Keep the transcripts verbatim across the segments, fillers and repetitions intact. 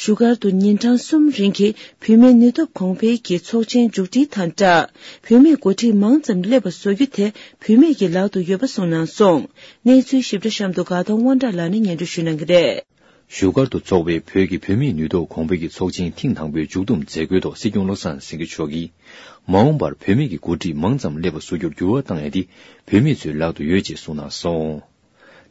བཞུགས་སྒར་དུ་ཉིན་གྲངས་གསུམ་རིང་གི་བུད་མེད་ནུས་སྟོབས་གོང་འཕེལ་གྱི་ཚོགས་ཆེན་མཇུག་སྒྲིལ་དང་སྦྲགས། བུད་མེད་འགོ་ཁྲིད་མང་ཙམ་སླེབས་པ་བཟོ་རྒྱུ་དེ་བུད་མེད་ཀྱི་ལག་ཏུ་ཡོད་པ་གསུངས་གནང་སོང་། གནས་ཚུལ་ཞིབ་ཕྲ་གཤམ་དུ་དགའ་ལྡན་དབང་གྲགས་ལགས་ནས་སྙན་སྒྲོན་ཞུ་གནང་གི་རེད། བཞུགས་སྒར་དུ་འཚོགས་པའི་བོད་ཀྱི་བུད་མེད་ནུས་སྟོབས་གོང་འཕེལ་གྱི་ཚོགས་ཆེན་ཐེངས་དང་པོའི་མཇུག་བསྡོམས་མཛད་སྒོའི་ཐོག་སྲིད་སྐྱོང་བློ་བཟང་སེང་གེ་མཆོག་གིས། མ་འོངས་པར་བུད་མེད་ཀྱི་འགོ་ཁྲིད་མང་ཙམ་སླེབས་པ་བཟོ་རྒྱུར་འགྱུར་བ་བཏང་ཡ་དེ་བུད་མེད་ཚོའི་ལག་ཏུ་ཡོད་ཅེས་གསུངས་གནང་སོང་།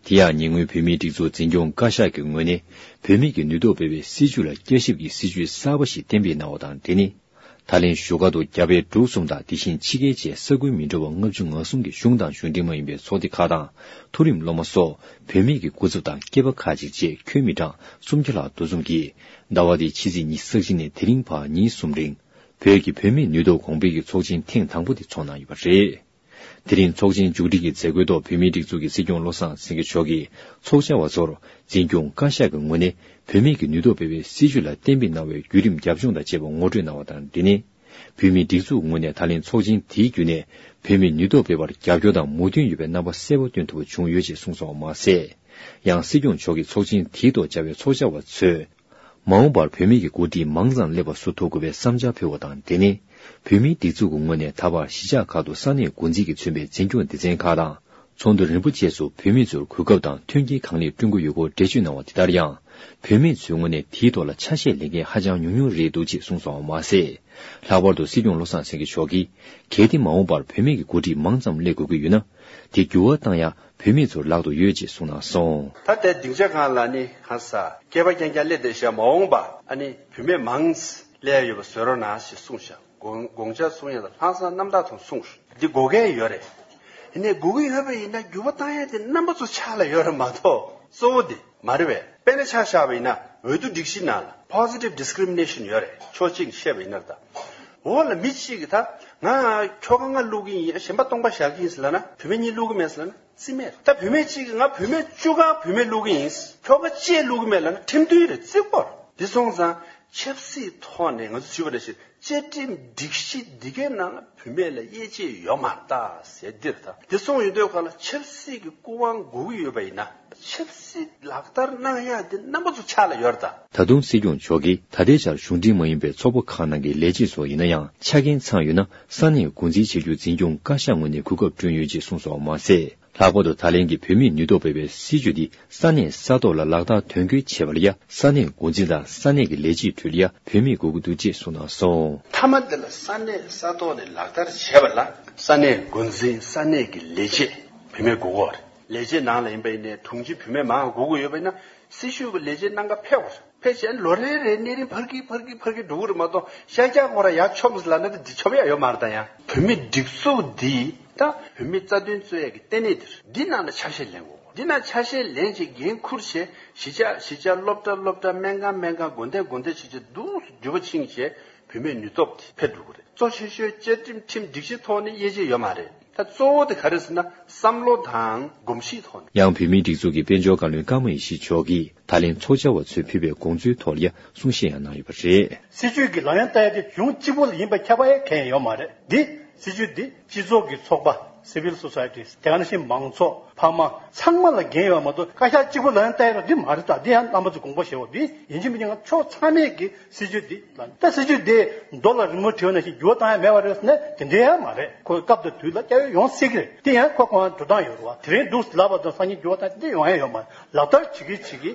དེ་ཡང་ཉེ་སྔོན་བོད་མིའི་སྒྲིག་འཛུགས་འཛིན་སྐྱོང་བཀའ་ཤག་གི་ངོས་ནས་བུད་མེད་ཀྱི་ནུས་སྟོབས་སྤེལ་བའི་སྲིད་བྱུས་ལ་བསྐྱར་ཞིབ་ཀྱི་སྲིད་བྱུས་གསར་པ་ཞིག་གཏན་འབེབས་གནང་བ་དང་འབྲེལ་ནས། ད་ལན་བཞུགས་སྒར་དུ་རྒྱ་བལ་འབྲུག་གསུམ་དང་དེ་བཞིན་ཕྱི་རྒྱལ་བཅས་ས་ཁུལ་མི་འདྲ་བ་ལྔ་བཅུ་ང་གསུམ་གྱི་གཞུང་དང་གཞུང་འབྲེལ་མ་ཡིན་པའི་ཚོགས་སྡེ་ཁག་དང་མཐོ་རིམ་སློབ་མ་སོགས་བུད་མེད་ཀྱི་སྐུ་ཚབ་དང་སྐྱེས་པ་ཁག་ཅིག་བཅས་ཁྱོན་མི་གྲངས་སུམ་བརྒྱ་ལྷག་འདུ་འཛོམས་ཀྱིས་ཟླ་བ་འདིའི་ཕྱི་ཚེས་ཉི་ཤུ་རྩ་གཅིག་ནས་དེ་རིང་བར་ཉིན་གསུམ་རིང་བོད་ཀྱི་བུད་མེད་ནུས་སྟོབས་གོང་འཕེལ་གྱི་ཚོགས་ཆེན་ཐེངས་དང་པོ་དེ་འཚོགས་གནང་ཡོད་པ་རེད། དེ་རིང་ཚོགས་ཆེན་མཇུག་སྒྲིལ་གྱི་མཛད་སྒོའི་ཐོག་བོད་མིའི་སྒྲིག་འཛུགས་ཀྱི་སྲིད་སྐྱོང་བློ་བཟང་སེང་གེ་མཆོག་གིས་ཚོགས་བཅར་བ་ཚོར་འཛིན་སྐྱོང་བཀའ་ཤག་གི་ངོས་ནས་བུད་མེད་ཀྱི་ནུས་སྟོབས་སྤེལ་བའི་སྲིད་བྱུས་ལ་གཏན་འབེབས་གནང་བའི་བརྒྱུད་རིམ་རྒྱབ་ལྗོངས་དང་བཅས་པ་ངོ་སྤྲོད་གནང་བ་དང་འབྲེལ་ནས། བོད་མིའི་སྒྲིག་འཛུགས་ངོས་ནས་ད་ལན་ཚོགས་ཆེན་དེའི་བརྒྱུད་ནས་བུད་མེད་ནུས་སྟོབས་སྤེལ་བར་རྒྱབ་སྐྱོར་དང་མོས་མཐུན་ཡོད་པའི་རྣམ་པ་གསལ་པོ་སྟོན་ཐུབ་པ་བྱུང་ཡོད་ཅེས་གསུངས་སོང་བ་མ་ཟད། ཡང་སྲིད་སྐྱོང་མཆོག་གིས་ཚོགས་ཆེན་དེའི་ཐོག་བཅར་བའི་ཚོགས་བཅར་བ་ཚོས། མ་འོངས་པར་བུད་མེད་ཀྱི་འགོ་ཁྲིད་མང་ཙམ་སླེབས་པ་བཟོ་ཐུབ་དགོས་པའི་བསམ་འཆར་ཕུལ་བ་དང་འབྲེལ་ནས། བོད་མིའི་སྒྲིག་འཛུགས་ཀྱི་ངོས་ནས་ད་བར་གཞིས་ཆགས་ཁག་ཏུ་ས་གནས་འགོ་འཛིན་གྱིས་མཚོན་པའི་འཛིན་སྐྱོང་སྡེ་ཚན་ཁག་དང་། ཚོགས་འདུ་རིམ་པ་བཅས་སུ་བུད་མེད་ཚོར་གོ་སྐབས་དང་མཐུན་རྐྱེན་གང་ལེགས་བསྐྲུན་དགོས་ཡོད་སྐོར་འགྲེལ་བརྗོད་གནང་བ་དེ་ལྟར་ཡང་། བུད་མེད་ཚོའི་ངོས་ནས་དེའི་ཐོག་ལ་ཆ་ཤས་ལེན་མཁན་ཧ་ཅང་ཉུང་ཉུང་རེད་འདུག་ཅེས་གསུངས་སོང་བ་མ་ཟད། ལྷག་པར་དུ་སྲིད་སྐྱོང་བློ་བཟང་སེང་གེ་མཆོག་གིས། གལ་ཏེ་མ་འོངས་པར་བུད་མེད་ཀྱི་འགོ་ཁྲིད་མང་ཙམ་སླེབས་དགོས་ཀྱི་ཡོད་ན། དེ་འགྱུར་བ་བཏང་ཡ་བུད་མེད་ཚོར་ལག་ཏུ་ཡོད་ཅེས་གསུངས་གནང་སོང་། ད་ལྟའི་སྡིངས་ཆ་སྒང་ལ་ནི་ཧ་ས་སྐྱེས་པ་རྐྱང་རྐྱང་སླེབས་བསྡད་ཤག་མ་འོངས་པ་ཨ་ནི་བུད་མེད་མང་སླེབས་ཡོད་པ་བཟོ་རོགས་གནང་ཞེས་གསུངས་ཤག་དགོངས་དགོངས་འཆར་གསུང་ཡ་ལ་ལྷག་བསམ་རྣམ་དག་ཐོག་གསུངས་ཤག་འདི་དགོས་གལ་ཡོད་རེད། ཡིན་ནའི་དགོས་ཀྱི་ཡོད་པ་ཡིན་ན་འགྱུར་བ་བཏང་ཡ་དེ་རྣམ་པ་ཚོ་ཆ་ལ་ཡོད་རེད་མ་གཏོགས་གཙོ་བོ་དེ་མ་རེད་པས། དཔེར་ན་ཆ་བཞག་པ་ཡིན་ན་འོས་བསྡུ་སྒྲིག་གཞི་ནང་ལ་positive discrimination ཡོད་རེད། ཕྱོགས་གཅིག་ནས་བཤད་པ་ཡིན་ན་ད། འོ་ལ་མི་གཅིག་གིས་ད་ང་ཁྱོ་ག་ང་བླུག་གི་ཡིན། གཞན་པ་སྟོང་པ་བཞག་གི་ཡིན་ཟེར་ལབ་ན། བུད་མེད་གཉིས་བླུག་གི་མེད་ཟེར་ལབ་ན་རྩིས་མེད། ད་བུད་མེད་གཅིག་གིས་ང་བུད་མེད་བཅུ་གང་བུད་མེད་བླུག་གི་ཡིན། ཁྱོ་ག་གཅིག་བླུག་གི་མེད་ལབ་ན་ཁྲིམས་མཐུན་རེད། རྩིས་དགོས་རེད། འདི་སོང་ཙང་ཆབ་སྲིད་ཐོག་ནས་ང་ཚོ་ཞུས་པ་ནང་བཞིན་བཅའ་ཁྲིམས་སྒྲིག་གཞི་འདི་གའི་ནང་ལ་བུད་མེད་ལ་དབྱེ་འབྱེད་ཡོད་མ་རེད་ད་ཟེར་འདིར་ད། འདི་སོང་ཡོང་དུས་ག་ལ་ཆབ་སྲིད་ཀྱི་སྐུ་དབང་དགོས་ཀྱི་ཡོད་པ་ཡིན་ན་ཆབ་སྲིད་ལག་བསྟར་གནང་ཡ་འདི་རྣམ་པ་ཚོ་ཆ་ལ་ཡོད་རེད་ད། ད་དུང་སྲིད་སྐྱོང་མཆོག་གིས་ད་ལྟའི་ཆར་གཞུང་འབྲེལ་མ་ཡིན་པའི་ཚོགས་པ་ཁག་ནང་གི་ལས་བྱེད་ཚོ་ཡིན་ན་ཡང་ཆ་རྐྱེན་ཚང་ཡོད་ན་ས་གནས་འགོ་འཛིན་བྱེད་རྒྱུ་འཛིན་སྐྱོང་བཀའ་ཤག་ངོས་ནས་གོ་སྐབས་བསྐྲུན་ཡོད་ཅེས་གསུངས་སོང་བ་མ་ཟད། ལྷག་པར་དུ་ད་ལན་གྱི་བོད་མིའི་ནུས་སྟོབས་སྤེལ་བའི་སྲིད་བྱུས་འདི་ས་གནས་ས་ཐོག་ལ་ལག་བསྟར་དོན་འཁྱོལ་བྱེད་པ་ལ་ཡ་ས་གནས་འགོ་འཛིན་དང་ས་གནས་ཀྱི་ལས་བྱེད་ཁྲོད་ལ་ཡ་བུད་མེད་དགོས་ཀྱི་འདུག་ཅེས་གསུངས་གནང་སོང་། མཐའ་མ་འདི་ལ་ས་གནས་ས་ཐོག་ནས་ལག་བསྟར་བྱེད་པ་ལ་ས་གནས་འགོ་འཛིན་ས་གནས་ཀྱི་ལས་བྱེད་བུད་མེད་དགོས་ཀྱི་ཡོད་རེད། ལས་བྱེད་ནང་ལ་ཡིན་པ་ཡིན་ནའི་དྲུང་ཆེ་བུད་མེད་མང་དགོས་ཀྱི་ཡོད་པ་ཡིན་ན་སྲི་ཞུ་གི་ལས་བྱེད་གནང་ག་ཕེབས་དགོས་རེད། ཕལ་ཆེར་ལོ་རེ་རེ་གནས་རིམ་འཕར་གི་འཕར་གི་འཕར་གི་འགྲོ་གི་རེད་མ་གཏོགས་ཤར་རྒྱག་ཁོ་ར་ཡར་མཆོངས་ལབ་ན་ད་འདི་མཆོངས་ཡ་ཡོད་མ་རེད་ད། ཡང་བོད་མི་སྒྲིག་འཛུགས་འདི་ད་བོད་མི་རྩ་དོན་རྩོད་ཡ་གི་ལྟེ་གནས་འདི་རེད། འདི་ནང་ལ་ཆ་ཤས་ལེན་དགོས། འདི་ནང་ཆ་ཤས་ལེན་བྱས་འགན་འཁུར་བྱས་གཞིས་ཆགས་གཞིས་ཆགས་སློབ་གྲྭ་སློབ་གྲྭ་སྨན་ཁང་སྨན་ཁང་དགོན་སྡེ་དགོན་སྡེ་བྱས་བྱས་འདུག་སེ་འགྱུར་བ་ཕྱིན་བྱས་བུད་མེད་ནུས་སྟོབས་དེ་འཕེལ་འགྲོ་གི་རེད། གཙོ་ཆེ་ཤོས་བཅའ་ཁྲིམས་ཁྲིམས་སྒྲིག་གཞི་ཐོག་ནས་དབྱེ་འབྱེད་ཡོད་མ་རེད། ད་གཙོ་བོ་དེ་ག་རེ་ཟེར་ན་བསམ་བློ་དང་གོམས་གཤིས་ཐོག་ནས། ཡང་བོད་མིའི་སྒྲིག་འཛུགས་ཀྱི་དཔལ་འབྱོར་བཀའ་བློན་ཀརྨ་ཡེ་ཤེས་མཆོག་གིས་ད་ལན་ཚོགས་བཅར་བ་ཚོས་ཕུལ་བའི་དགོངས་ཚུལ་ཐོག་ལ་ཡང་གསུང་བཤད་ཡང་གནང་ཡོད་པ་རེད། སྲིད་བྱུས་ཀྱི་ལག་ལེན་བསྟར་ཡ་དེ་གཞུང་གཅིག་པུ་ལ་ཡིན་པ་ཁྱབ་པ་ཡང་གང་ཡང་ཡོད་མ་རེད། འདི་སྲིད་བྱུས་འདི་སྤྱི་ཚོགས་ཀྱི་ཚོགས་པ་civil society དེ་ག་ནང་བཞིན་མང་ཚོགས་ཕ་མ་ཚང་མ་ལ་འགན་ཡོད་མ་གཏོགས་བཀའ་ཤག་གཅིག་པུ་ལག་ལེན་བསྟར་ཡ་འདི་མ་རེད། ད་འདི་ཡང་རྣམ་པ་ཚོ་དགོངས་པ་བཞེས་འོ། འདི་ཡིན་གཅིག་མིན་གཅིག་ང་ཕྱོགས་ཚང་མས་ཀྱི་སྲིད་བྱུས་འདི་ལ་ད་སྲིད་བྱུས་འདི་རྡོ་ལ་རི་མོ་བྲིས་པ་ནང་བཞིན་འགྱུར་བ་བཏང་ཡ་མེད་པ་རེད་ཟེར་ན་དེ་འདྲའི་ཡང་མ་རེད། ཁོའི་སྐབས་དང་དུས་ལ་སྐྱ་བོས་ཡོང་སྲིད་ཀྱི་རེད། དེ་ཡང་ཁོ་ཁོ་རང་འགྲོ་སྟངས་ཡོད་རེད་བ། དེ་རིང་འདུག་ལབ་པ་དང་སང་ཉིན་འགྱུར་བ་བཏང་དེ་འདྲ་ཡོང་ཡ་ཡོད་མ་རེད། ལག་བསྟར་བྱེད་ཀྱི་བྱེད་ཀྱི་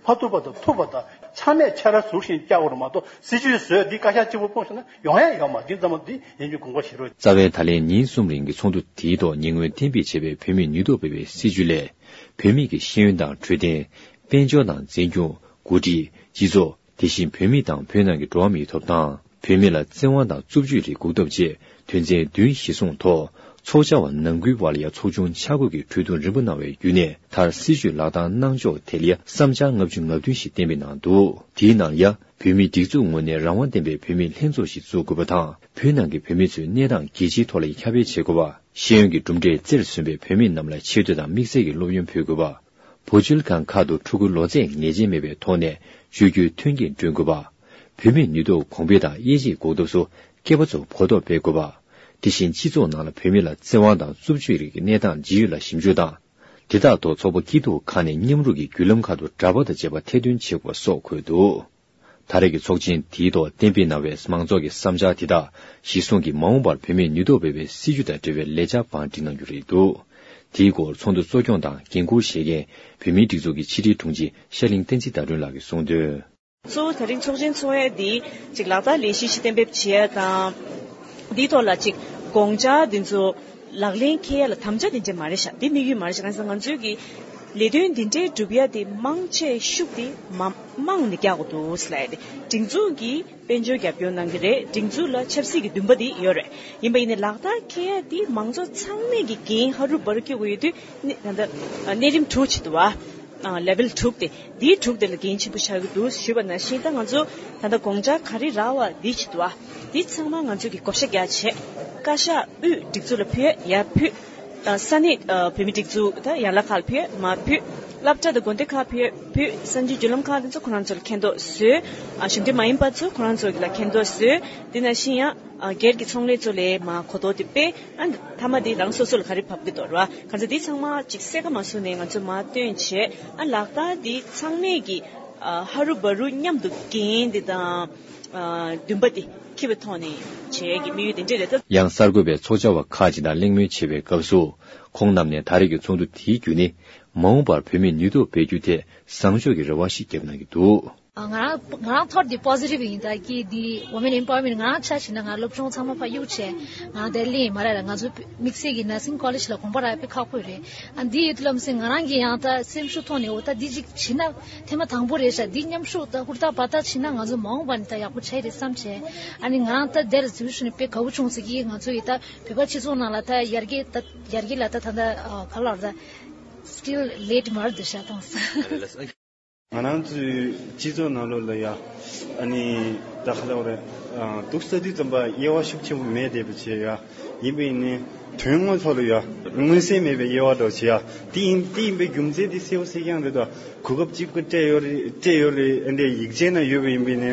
ཕར་ཐུག་པ་དང་ཐུག་པ་དང་ཚང་མས་ཕྱར་ར་ཟུར་བཞིན་བཅར་དགོས་རེད་མ་གཏོགས་སྲིད་བྱུས་བཟོས་འདི་བཀའ་ཤག་གཅིག་པུ་སྤུངས་ཤོག་ན་ཡོང་ཡ་ཡོད་མ་རེད། འདི་ཙམ་པ་འདི་ཡིན་རྒྱུ་དགོངས་པ་བཞེས་རོགས། རྩ་བའི་ད་ལན་ཉིན་གསུམ་རིང་གི་ཚོགས་འདུ་དེའི་ཐོག་ཉེ་སྔོན་གཏན་འབེབས་བྱས་པའི་བོད་མིའི་ནུས་སྟོབས་སྤེལ་བའི་སྲིད་བྱུས་ལས། བོད་མི་གི་ཤེས་ཡོན་དང་འཕྲོད་བསྟེན། དཔལ་འབྱོར་དང་འཛིན་སྐྱོང་། འགོ་ཁྲིད། སྤྱི་ཚོགས། དེ་བཞིན་བོད་མི་དང་བོད་ནང་གི་འགྲོ་བ་མིའི་ཐོབ་ཐང་། བོད་མི་ལ་བཙན་དབང་དང་རྩུབ་སྤྱོད་རིགས་འགོག་ཐབས་ཆེད་དོན་ཚན་བདུན་གཞིར་བཟུང་ཐོག་ཚོགས་བཅར་བ་ནང་ཁུལ་བར་ལ་ཡ་ཚོགས་ཆུང་ཆ་བགོས་ཀྱིས་གྲོས་བསྡུར་རིམ་པ་གནང་བའི་བརྒྱུད་ནས་མཐར་སྲིད་བྱུས་ལག་བསྟར་གནང་ཕྱོགས་ཐད་ལ་ཡ་བསམ་འཆར་ལྔ་བཅུ་ང་བདུན་ཞིག་གཏན་འབེབས་གནང་འདུག་དེའི་ནང་ལ་ཡ་བོད་མིའི་སྒྲིག་འཛུགས་ངོས་ནས་རང་དབང་ལྡན་པའི་བོད་མིའི་ལྷན་ཚོགས་ཤིག་བཙུགས་དགོས་པ་དང་། བོད་ནང་གི་བོད་མི་ཚོའི་གནས་སྟངས་རྒྱལ་སྤྱིའི་ཐོག་ལ་ཡ་ཁྱབ་སྤེལ་བྱེད་དགོས་པ། ཤེས་ཡོན་གྱི་གྲུབ་འབྲས་རྩེར་སོན་པའི་བོད་མི་རྣམས་ལ་ཆེ་བསྟོད་དང་དམིགས་བསལ་གྱི་སློབ་ཡོན་ཕུལ་དགོས་པ། བུ་བཅོལ་ཁང་ཁག་ཏུ་ཕྲུ་གུ་ལོ་ཚད་ངེས་ཅན་མེད་པའི་ཐོག་ནས་བཅོས་བསྒྱུར་མཐུན་རྐྱེན་བསྐྲུན་དགོས་པ། བུད་མེད་ནུས་སྟོབས་གོང་འཕེལ་དང་དབྱེ་འབྱེད་འགོག་ཐབས་སུ་སྐྱེས་པ་ཚོ་གོ་རྟོགས་སྤེལ་དགོས་པ། དེ་བཞིན་སྤྱི་ཚོགས་ནང་ལ་བུད་མེད་ལ་བཙན་དབང་དང་རྩུབ་སྤྱོད་རིགས་ཀྱི་གནས་སྟངས་ཇི་ཡོད་ལ་ཞིབ་འཇུག་དང་། དེ་དག་ཐོག་ཚོགས་པ་སྐྱིད་སྡུག་ཁག་ནས་མཉམ་རུབ་ཀྱིས་བརྒྱུད་ལམ་ཁག་ཏུ་གྲྭ་པ་དང་བཅས་པ་ཐེར་འདོན་བྱེད་དགོས་པ་སོགས་འཁོད་འདུག་ད་རེས་ཀྱི་ཚོགས་ཆེན་དེའི་ཐོག་གཏན་འབེབས་གནང་བའི་མང་ཚོགས་ཀྱི་བསམ་འཆར་དེ་དག་གཞིར་བཟུང་གིས་མ་འོངས་པར་བུད་མེད་ནུས་སྟོབས་སྤེལ་བའི་སྲིད་ཇུས་དང་འབྲེལ་བའི་ལས་འཆར་བང་སྒྲིག་གནང་རྒྱུ་རེད་འདུག་དེའི་སྐོར་ཚོགས་འདུ་གཙོ་སྐྱོང་དང་འགན་འཁུར་བཞེས་མཁན་བུད་མེད་སྒྲིག་འཛུགས་ཀྱི་ཕྱི་དྲིལ་དྲུང་ཆེ་ཤར་གླིང་བསྟན་འཛིན་ཟླ་སྒྲོན་ལགས་ཀྱིས་གསུངས་དོན། གཙོ་བོ་ད་རིང་ཚོགས་ཆེན་ཚོགས་ཡ་འདི་ཅིག་ལག་བསྟར་ལས་གཞི་ཞིག་གཏན་འབེབས་བྱེད་ཡ་དང་། འདིའི་ཐོག་ལ་ཅིག་དགོངས་འཆར་འདི་ཚོ་ལག་ལེན་འཁེལ་ཡ་ལ་དམ་བཅའ་འདི་འདྲ་མ་རེད་ཤག་འདི་དམིགས་ཡུལ་མ་རེད་ཤག་གང་ཟེར་ན་ང་ཚོའི་གི་ལས་དོན་འདི་འདྲའི་སྒྲུབ་ཡ་དེ་མང་ཆེ་ཤུགས་དེ་མ་མང་ནས་རྒྱག་དགོས་འདུག་ཟེར་ལབ་ཡ་དེ་སྒྲིག་འཛུགས་ཀྱི་དཔལ་འབྱོར་རྒྱབ་སྐྱོར་གནང་གི་རེད། སྒྲིག་འཛུགས་ལ་ཆབ་སྲིད་ཀྱི་འདུན་པ་དེ་ཡོད་རེད། ཡིན་པ་ཡིན་ནའི་ལག་བསྟར་འཁེལ་ཡ་དེ་མང་ཚོགས་ཚང་མས་ཀྱི་འགན་ཧ་རུ་བ་རུ་སྐྱོར་དགོས་ཡོད་དུས་ནི་ད་ལྟ་གནས་རིམ་དྲུག་ཅིག་འདུག་བ། ལེ་ཝལ་དྲུག་དེ་འདིའི་དྲུག་དེ་ལ་འགན་ཆེན་པོ་ཆགས་ཀྱི་འདུག་ཞུས་པ་ནང་བཞིན་ད་ང་ཚོ་ད་ལྟ་དགོངས་འཆར་ག་རེ་རག་བ་འདི་ཅིག་འདུག་བ། འདི་ཚང་མ་ང་ཚོ་གི་བགོ་བཤའ་རྒྱག་བྱས་བཀའ་ཤག་དབུས་སྒྲིག་འཛུགས་ལ་ཕུལ་ཡ་ཕུལ། ས་གནས་བོད་མི་སྒྲིག་འཛུགས་ད་ཡན་ལག་ཁག་ལ་ཕུལ་མ་ཕུལ། སློབ་གྲྭ་དང་དགོན་སྡེ་ཁག་ཕུལ་ཕུལ། གསར་འགྱུར་བརྒྱུད་ལམ་ཁག་དེ་ཚོ་ཁོ་རང་ཚོ་ལ་མཁྱེན་རྟོགས་བཟོས། གཞུང་འབྲེལ་མ་ཡིན་པ་ཚོ་ཁོ་རང་ཚོ་ལ་མཁྱེན་རྟོགས་བཟོས། དེ་ནང་བཞིན་ཡང་སྒེར་གྱི་ཚོང་ལས་ཚོ་ལས་མ་གོ་རྟོགས་དེ་སྤེལ། ཨ་མཐའ་མ་དེ་རང་སོ་སོ་ལ་ག་རེ་བབས་ཀྱི་འདུག་ར། གང་ཚེ་དེ་ཚང་མ་ཅིག་གསལ་ཁ་མ་བཟོ་ནས་ང་ཚོ་མ་སྟོན་བྱས་ཨ་ལག་བསྟར་དེ་ཚང་མས་ཀྱི་ཧ་རུ་བ་རུ་མཉམ་དུ་འགན་དེ་དང་འདུན་པ་དེ་འཁྱེར་བའི་ཐོག་ནས་བྱས་ཀྱི་དམིགས་ཡུལ་དེ་འདྲས་རེད་ད། ཡང་གསར་འགོད་པས་ཚོགས་བཅར་བ་ཁག་ཅིག་དང་གླེང་མོལ་བྱེད་པའི་སྐབས་སུ་ཁོང་རྣམས་ནས་ད་རེས་ཀྱི་ཚོགས་འདུ་དེའི་བརྒྱུད་ནས་མ་འོངས་པར་བུད་མེད་ནུས་སྟོབས་སྤེལ་རྒྱུ་ཐད་བཟང་ཕྱོགས་ཀྱི་རེ་བ་ཞིག་བརྒྱབ་གནང་གི་འདུག་ང་རང་ང་རང་ཐོག་འདི་པོ་སི་ཊིབ་ཡིན་ད་ཀི་འདི་ཝོ་མེན་ཨེམ་པ་ཝར་མེན་ཊི་ང་རང་ཆ་བཞག་ན་ང་སློབ་སྦྱོང་ཚང་མ་ཕར་གཡུག་བྱས་ང་དེར་སླེབས་ཡིན་མ་རེད་ལ། ང་ཚོ་དམིགས་བསལ་གྱི་ནར་སིང་ཀོ་ལེཇ་ལ་དགོངས་པ་རག་དཔེ་ཁག་པོ་རེད། ཨ་འདི་ཡོད་དུས་ལམ་སེང་ང་རང་གི་ཡང་ད་སེམས་ཤུགས་ཐོག་ནས་འོ་ད་འདི་ཅིག་བྱེད་ན་ཐེངས་མ་དང་པོ་རེད་ཤག་འདི་མཉམ་ཞུགས་ད་ཧུར་ཐག་འབད་ཐག་བྱེད་ན་ང་ཚོ་མ་འོངས་པ་ནས་ད་ཡག་པོ་ཆགས་ཡི་རེད་བསམ་བྱས། ཨ་ནི་ང་རང་ད་དེར་འཛུལ་ཞུ་ནས་དཔེ་དགའ་བོ་བྱུང་ཟེར་གྱི་ང་ཚོ་ཡི་ད་བོད་པ་སྤྱི་ཚོགས་ནང་ལ་ད་ཡར་རྒྱས་ད་ཡར་རྒྱས་ལ་ད་ད་ད་ག་ལ་ད་སི་ཊིལ་ལེ་ཊི་མར་འདུག་ཤག་དང་ས། ང་རང་ཚོའི་སྤྱི་ཚོགས་ནང་ལོགས་ལ་ཡ། ཨ་ནི་ད་ག་ལབ་རེད། འདུག་ས་དུས་ཙམ་པ་དབྱེ་བ་ཤུགས་ཆེན་པོ་མེད་བསྡད་པ་བྱས་ཡ། ཡིན་པས་ནི་དོན་དངོས་ཐོག་ལ་ཡ། མངོན་གསལ་མེད་པའི་དབྱེ་བ་འདྲ་བྱས་ཡ། དེ་ཡིན་དེ་ཡིན་པའི་རྒྱུ་མཚན་དེ་གསལ་པོ་གསལ་རྐྱང་རེད་ད། གོ་སྐབས་གཅིག་པུ་སྤྲད་ཡོད་རེད་སྤྲད་ཡོད་རེད་ཨ་འདྲའི་ཡིག་ཆའི་ནང་ཡོད་པ་ཡིན་པས་ནི།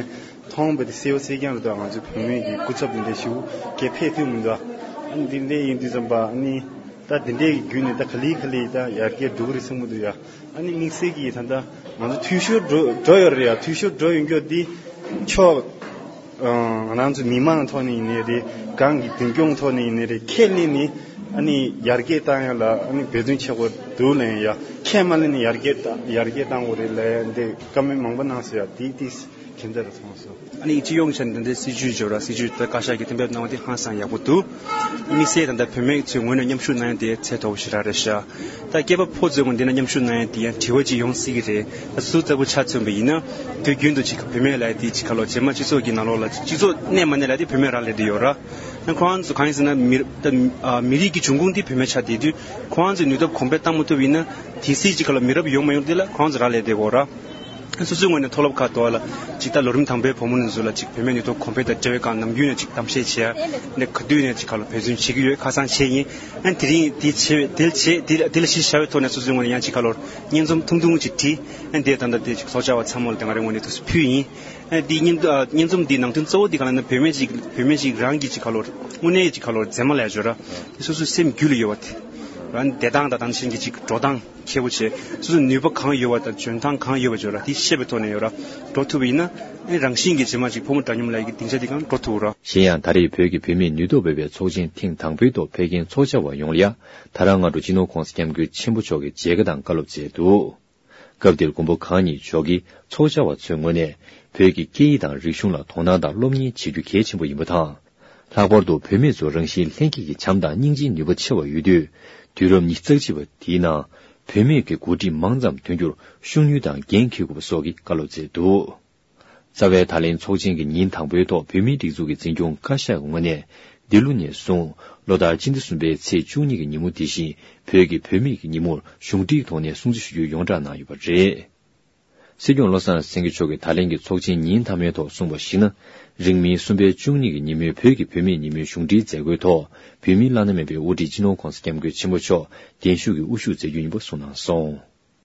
མཐོང་བ་དེ་གསལ་པོ་གསལ་རྐྱང་རེད་ད། ང་ཚོ་བུད་མེད་ཀྱི་སྐུ་ཚབ་དེ་འདྲ་ཞིག་གིས་ཕེབས་ཐུབ་མི་འདུག་ཨ་ནི་དེ་འདྲ་ཡིན་དུས་ཙམ་པ་ཨ་ནི། ད་དེ་འདྲའི་བརྒྱུད་ནས་ད་ག་ལེ་ག་ལེ་ད་ཡར་རྒྱས་འགྲོ་གི་རེད་བསམ་གྱི་འདུག་ཡ། ཨ་ནི་དམིགས་བསལ་གྱིས་ད་ལྟ་ང་ཚོ་འཐུས་ཤོར་འགྲོ་འགྲོ་ཡོད་རེད་ཡ། འཐུས་ཤོར་འགྲོ་ཡོད་རྒྱུ་འདི་ཕྱོགས་ང་རང་ཚོ་མི་མང་ཐོག་ནས་ཡིན་ནའི་རེད། གང་གི་མདུན་སྐྱོང་ཐོག་ནས་ཡིན་ནའི་རེད། ཁས་ལེན་ནས་ཨ་ནི་ཡར་རྒྱས་བཏང་ཡ་ལ་ཨ་ནི་འབད་བརྩོན་བྱེད་དགོས་འདུག་ལབ་ཡ། ཁས་མ་ལེན་ནས་ཡར་རྒྱས་བཏང་ཡར་རྒྱས་བཏང་དགོས་རེད་ལབ་ཡ་འདི་བཀའ་མོལ་མང་པོ་གནང་སོང་ཡ། དེ་དེ་ཁྱད་མཚར་རུ་མཐོང་སོང་། ཨ་ནི་སྤྱི་ཡོངས་ཆ་ནས་འདི་འདྲའི་སྲིད་ཇུས་འབྱོར་ར་སྲིད་ཇུས་ད་བཀའ་ཤག་གིས་གཏན་འབེབས་གནང་བ་དེ་ཧང་སང་ཡག་པོ་འདུག་དམིགས་བསལ་ད་ལྟ་བུད་མེད་ཚོའི་ངོས་ནས་མཉམ་ཞུགས་གནང་ཡ་དེ་ཚད་མཐོ་པོ་ཞེ་དྲག་རེད་ཤག་ད་སྐྱེས་པ་ཕོ་ཚོའི་ངོས་འདི་ན་མཉམ་ཞུགས་གནང་ཡ་དེ་ཡང་དྲི་བ་ཅིག་ཡོང་སྲིད་ཀྱི་རེད། ད་སུ་ལྟ་བུ་ཆ་མཚོན་པ་ཡིན་ན་དུས་རྒྱུན་དུ་ཅིག་བུད་མེད་ལབ་ཡ་དེ་ཅིག་ག་ལོ་རྗེས་མ་སྤྱི་ཚོགས་ཀྱི་ནང་ལོགས་ལ་སྤྱི་ཚོགས་གནས་མ་གནས་ལབ་ཡ་དེ་བུད་མེད་རང་ལས་དེ་ཡོད་ར། ན་ཁོ་རང་ཚོ་གང་ཡིན་ཟེར་ན་མི་ད་མི་རིགས་ཀྱི་འབྱུང་ཁུངས་དེ་བུད་མེད་ཆགས་བསྡད་དུས་ཁོ་རང་ཚོའི་ནུས་སྟོབས་གོང་འཕེལ་བཏང་མ་ཐུབ་ཡིན་ན་དེ་སྲིད་ཅིག་ག་ལོ་མི་རབས་ཡོང་མ་ཡོང་དེ་ལ་ཁོ་རང་ཚོ་རང་ལས་དེ་གོ་ར། སོ་སོའི་ངོས་ནས་མཐོ་སློབ་ཁག་ཏུ་ལ་ཅིག་ད་ལོ་རིམ་དང་པོའི་བུ་མོ་ནི་ཚོ་ལ་ཅིག་བུད་མེད་ནུས་སྟོབས་གོང་འཕེལ་དང་འབྲེལ་བའི་སྒང་ནམ་རྒྱུན་ནས་ཅིག་གཏམ་བཤད་བྱས་ནས་ག་དུས་ནས་ཅིག་ག་ལོ་འབད་བརྩོན་བྱེད་ཀྱི་ཡོད་ཁ་སང་བྱས་ཡིན། ཨན་དེ་རིང་དེ་བྱས་དེ་བྱས་དེ་དེ་ལ་གཞི་བཞག་པའི་ཐོག་ནས་སོ་སོའི་ངོས་ནས་ཡང་ཅིག་ག་ལོ་སྙན་རྩོམ་ཐུང་ཐུང་ཅིག་བྲིས། ཨན་དེ་ད་ལྟ་དེ་ཅིག་ཚོགས་བཅར་བ་ཚང་མ་ལ་དེ་ང་རའི་ངོས་ནས་ཐུགས་སུ་ཕུལ་ཡིན། ཨན་དེ་སྙན་སྙན་རྩོམ་དེའི་ནང་དོན་གཙོ་བོ་དེ་ག་ལ་ན་བུད་མེད་ཅིག་བུད་མེད་ཅིག་རང་གི་ཅིག་ག་ལོ་དངོས་གནས་ཅིག་ག་ལོ་མཛེས་མ་ལས་འབྱོར་ར་དེ་སོ་སོའི་སེམས་རྒྱུད་ལ་ཡོད་པ་དེ་རང་བདེ་ཐང་དང་དེ་བཞིན་གྱི་ཅིག་འགྲོ་སྟངས། ཁྱད་པོ་ཆེ། སོ་སོ་ནུས་པ་གང་ཡོད་པ་དང་འཇོན་ཐང་གང་ཡོད་པ་ཅིག་ཡོད་ར་དེ་ཤེས་པའི་ཐོག་ནས་ཡོད་ར་འགྲོ་ཐུབ་པ་ཡིན་ན་ཨེ་རང་བཞིན་གྱིས་རྗེས་མ་ཅིག་ཕོ་མོ་འདྲ་མཉམ་ལབ་ཡག་གི་སྡིངས་ཆ་དེ་གང་འགྲོ་ཐུབ་ར། གཞན་ཡང་ད་རེས་བོད་ཀྱི་བུད་མེད་ནུས་སྟོབས་སྤེལ་བའི་ཚོགས་ཆེན་ཐེངས་དང་པོའི་ཐོག་ཕེབས་མཁན་ཚོགས་བཅར་བ་ཡོངས་ལ་ཡ་ད་རང་སྔ་དྲོ་སྤྱི་ནོར་༸གོང་ས་༸སྐྱབས་མགོན་ཆེན་པོ་མཆོག་གིས་མཇལ་ཁ་དང་བཀའ་སློབ་སྩལ་འདུག་སྐབས་དེར་མགོན་པོ་གང་ཉིད་མཆོག་གིས་ཚོགས་བཅར་བ་ཚོའི་ངོས་ནས་བོད་ཀྱི་སྐད་ཡིག་དང་རིག་གཞུང་ལ་དོ་སྣང་དང་སློབ་གཉེར་བྱེད་རྒྱུ་གལ་ཆེན་པོ་ཡིན་པ་དང་། ལྷག་པར་དུ་བུད་མེད་ཚོར་རང་བཞིན་ལྷན་སྐྱེས་ཀྱི་བྱམས་དང་སྙིང་རྗེའི་ནུས་པ་ཆེ་བ་ཡོད་དུས། དུས་རབས་ཉི་ཤུ་རྩ་གཅིག་པ་འདིའི་ནང་བུད་མེད་ཀྱི་འགོ་ཁྲིད་མང་ཙམ་ཐོན་རྒྱུར་ཤུགས་སྣོན་དང་འགན་འཁྱེར་དགོས་པ་སོགས་ཀྱི་བཀའ་སློབ་སྩལ་འདུག་རྩ་བའི་ད་ལན་ཚོགས་ཆེན་གྱི་ཉིན་དང་པོའི་ཐོག་བོད་མིའི་སྒྲིག་འཛུགས་ཀྱི་འཛིན་སྐྱོང་བཀའ་ཤག་གི་ངོས་ནས་འདི་ལོ་ནས་བཟུང་ལོ་ལྟར་སྤྱི་ཟླ་གསུམ་པའི་ཚེས་བཅུ་གཉིས་ཀྱི་ཉིན་མོ་འདི་བཞིན་བོད་ཀྱི་བུད་མེད་ཀྱི་ཉིན་མོར་གཞུང་འབྲེལ་ཐོག་ནས་སྲུང་བརྩི་ཞུ་རྒྱུའི་ཡོངས་བསྒྲགས་གནང་ཡོད་པ་རེད། སྲིད་སྐྱོང་བློ་བཟང་སེང་གེ་མཆོག་གིས་ད་ལན་གྱི་ཚོགས་ཆེན་ཉིན་མཐའ་མའི་ཐོག་གསུངས་པར་གཞིགས་ན། རིང་མིན་གསུམ་པའི་བཅུ་གཉིས་ཀྱི་ཉིན་མོའི་བོད་ཀྱི་བུད་མེད་ཉིན་མོའི་གཞུང་འབྲེལ་མཛད་སྒོའི་ཐོག་བོད་མིའི་བླ་ན་མེད་པའི་དབུ་ཁྲིད་སྤྱི་ནོར་༸གོང་ས་༸སྐྱབས་མགོན་ཆེན་པོ་མཆོག་གདན་ཞུས་ཀྱིས་དབུ་བཞུགས་མཛད་རྒྱུ་ཡིན་པ་གསུངས་གནང་སོང་།